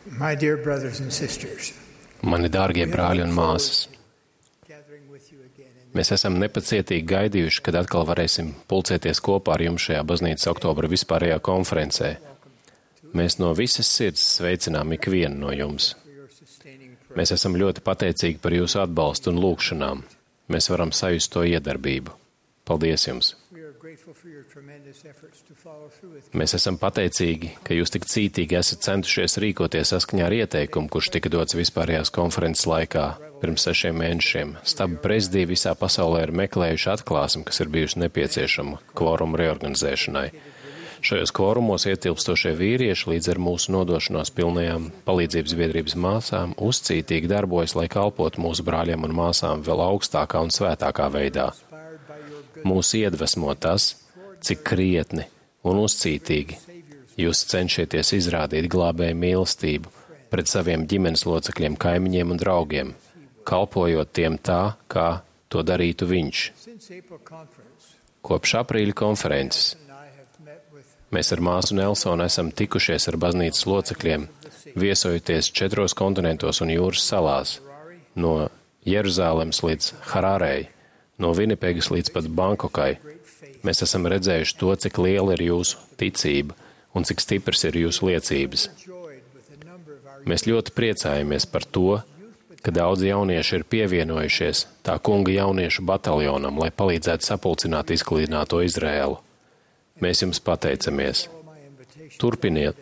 My dear brothers and sisters, Mani dārgie brāļi un māsas, mēs esam nepacietīgi gaidījuši, kad atkal varēsim pulcēties kopā ar jums šajā baznīcas oktobra vispārējā konferencē. Mēs no visas sirds sveicinām ikvienu no jums. Mēs esam ļoti pateicīgi par jūsu atbalstu un lūgšanām. Mēs varam sajust to iedarbību. Paldies jums! Mēs esam pateicīgi, ka jūs tik cītīgi esat centušies rīkoties saskaņā ar ieteikumu, kurš tika dots vispārējās konferences laikā pirms 6 mēnešiem. Staba prezidija visā pasaulē ir meklējuši atklāsmi, kas ir bijusi nepieciešama kvorumu reorganizēšanai. Šajos kvorumos ietilpstošie vīrieši līdz ar mūsu nodošanos pilnajām palīdzības biedrības māsām uzcītīgi darbojas, lai kalpotu mūsu brāļiem un māsām vēl augstākā un svētākā veidā. Mūs iedvesmo tas, cik krietni un uzcītīgi jūs cenšaties izrādīt glābēju mīlestību pret saviem ģimenes locekļiem, kaimiņiem un draugiem, kalpojot tiem tā, kā to darītu viņš. Kopš aprīļa konferences mēs ar māsu Nelsonu esam tikušies ar baznīcas locekļiem, viesojoties 4 kontinentos un jūras salās, no Jeruzālemes līdz Harārei, no Vinipegas līdz pat Bankokai. Mēs esam redzējuši to, cik liela ir jūsu ticība un cik stipras ir jūsu liecības. Mēs ļoti priecājamies par to, ka daudzi jaunieši ir pievienojušies tā kunga jauniešu bataljonam, lai palīdzētu sapulcināt izklīdināto Izraēlu. Mēs jums pateicamies. Turpiniet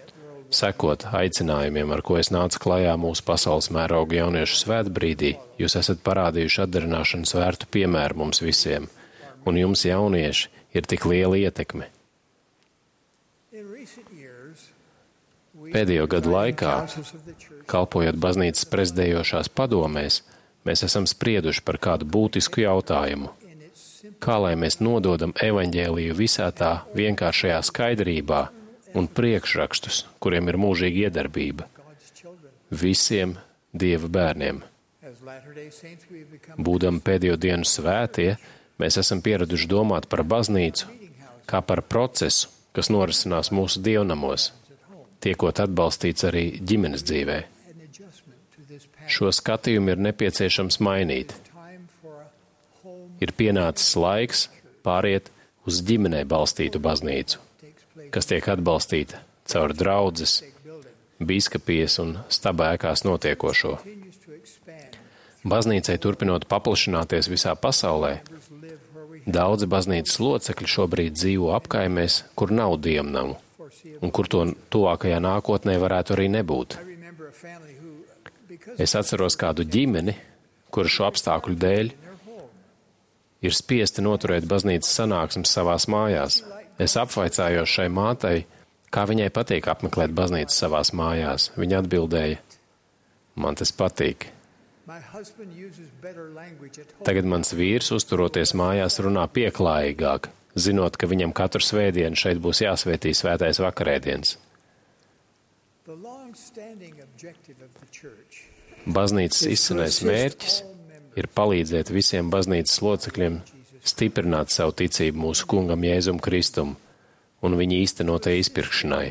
sekot aicinājumiem, ar ko es nācu klajā mūsu pasaules mēroga jauniešu svētbrīdī. Jūs esat parādījuši atdarināšanas vērtu piemēru mums visiem, un jums jaunieši ir tik liela ietekme. Pēdējo gadu laikā, kalpojot baznīcas prezidējošās padomēs, mēs esam sprieduši par kādu būtisku jautājumu. Kā lai mēs nododam evaņģēliju visā tā vienkāršajā skaidrībā un priekšrakstus, kuriem ir mūžīga iedarbība, visiem Dieva bērniem. Būdam pēdējo dienu svētie, mēs esam pieraduši domāt par baznīcu kā par procesu, kas norisinās mūsu dievnamos, tiekot atbalstīts arī ģimenes dzīvē. Šo skatījumu ir nepieciešams mainīt. Ir pienācis laiks pāriet uz ģimenē balstītu baznīcu, kas tiek atbalstīta caur draudzes, bīskapijas un staba ēkās notiekošo. Baznīcai turpinot paplašināties visā pasaulē, daudzi baznīcas locekļi šobrīd dzīvo apkaimēs, kur nav dievnamu, un kur to tuvākajā nākotnē varētu arī nebūt. Es atceros kādu ģimeni, kura šo apstākļu dēļ ir spiesti noturēt baznīcas sanāksmes savās mājās. Es apvaicājos šai mātei, kā viņai patīk apmeklēt baznīcu savās mājās. Viņa atbildēja, man tas patīk. Tagad mans vīrs, uzturoties mājās, runā pieklājīgāk, zinot, ka viņam katru svētdienu šeit būs jāsvētī svētais vakarēdiens. Baznīcas izcinais mērķis ir palīdzēt visiem baznīcas locekļiem stiprināt savu ticību mūsu kungam Jēzum Kristum un viņa īstenotai izpirkšanai,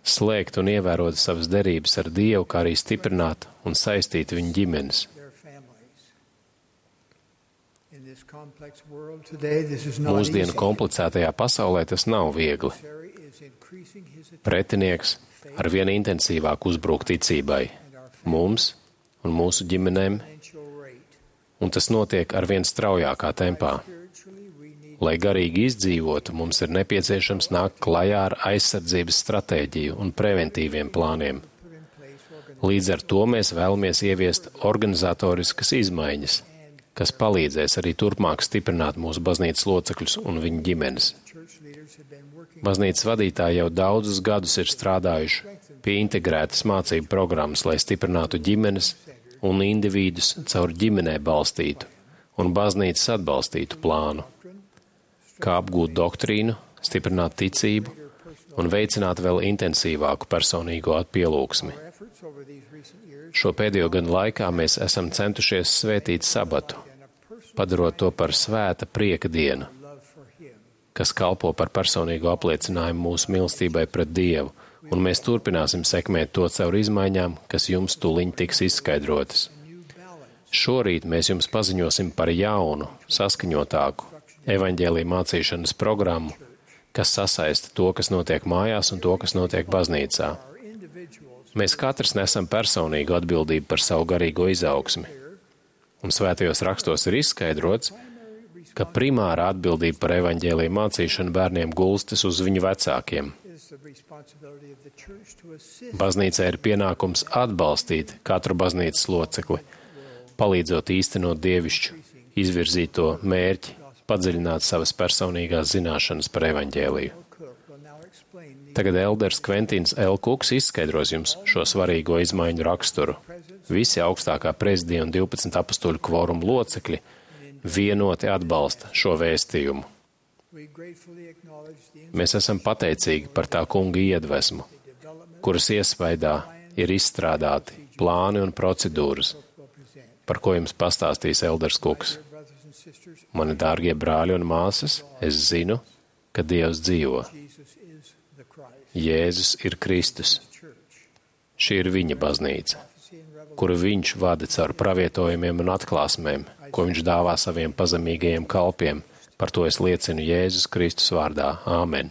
slēgt un ievērot savas derības ar Dievu, kā arī stiprināt un saistīt viņu ģimenes. Mūsdienu komplicētajā pasaulē tas nav viegli. Pretinieks arvien intensīvāk uzbrūk ticībai, mums un mūsu ģimenēm, un tas notiek arvien straujākā tempā. Lai garīgi izdzīvotu, mums ir nepieciešams nākt klajā ar aizsardzības stratēģiju un preventīviem plāniem. Līdz ar to mēs vēlamies ieviest organizatoriskas izmaiņas, kas palīdzēs arī turpmāk stiprināt mūsu baznīcas locekļus un viņu ģimenes. Baznīcas vadītāji jau daudzus gadus ir strādājuši pie integrētas mācību programmas, lai stiprinātu ģimenes un individus caur ģimenē balstītu un baznīcas atbalstītu plānu, kā apgūt doktrīnu, stiprināt ticību un veicināt vēl intensīvāku personīgo pielūgsmi. Šo pēdējo gadu laikā mēs esam centušies svētīt sabatu, padarot to par svēta prieka dienu, kas kalpo par personīgu apliecinājumu mūsu mīlestībai pret Dievu un mēs turpināsim sekmēt to caur izmaiņām, kas jums tūliņ tiks izskaidrotas. Šorīt mēs jums paziņosim par jaunu, saskaņotāku evaņģēlija mācīšanas programmu, kas sasaista to, kas notiek mājās un to, kas notiek baznīcā. Mēs katrs nesam personīgu atbildību par savu garīgo izaugsmi. Un svētajos rakstos ir izskaidrots, ka primāra atbildība par evaņģēlija mācīšanu bērniem gulstas uz viņu vecākiem. Baznīcai ir pienākums atbalstīt katru baznīcas locekli, palīdzot īstenot dievišķu, izvirzīto mērķi, padziļināt savas personīgās zināšanas par evaņģēliju. Tagad elders Kventins L. Kuks izskaidros jums šo svarīgo izmaiņu raksturu. Visi augstākā prezidija un 12 apostoļu kvorumu locekļi vienoti atbalsta šo vēstījumu. Mēs esam pateicīgi par tā kunga iedvesmu, kuras iespaidā ir izstrādāti plāni un procedūras, par ko jums pastāstīs elders Kuks. Mani dārgie brāļi un māsas, es zinu, ka Dievs dzīvo. Jēzus ir Kristus. Šī ir viņa baznīca, kuru viņš vada caur pravietojumiem un atklāsmēm, ko viņš dāvā saviem pazemīgajiem kalpiem. Par to es liecinu Jēzus Kristus vārdā. Āmen.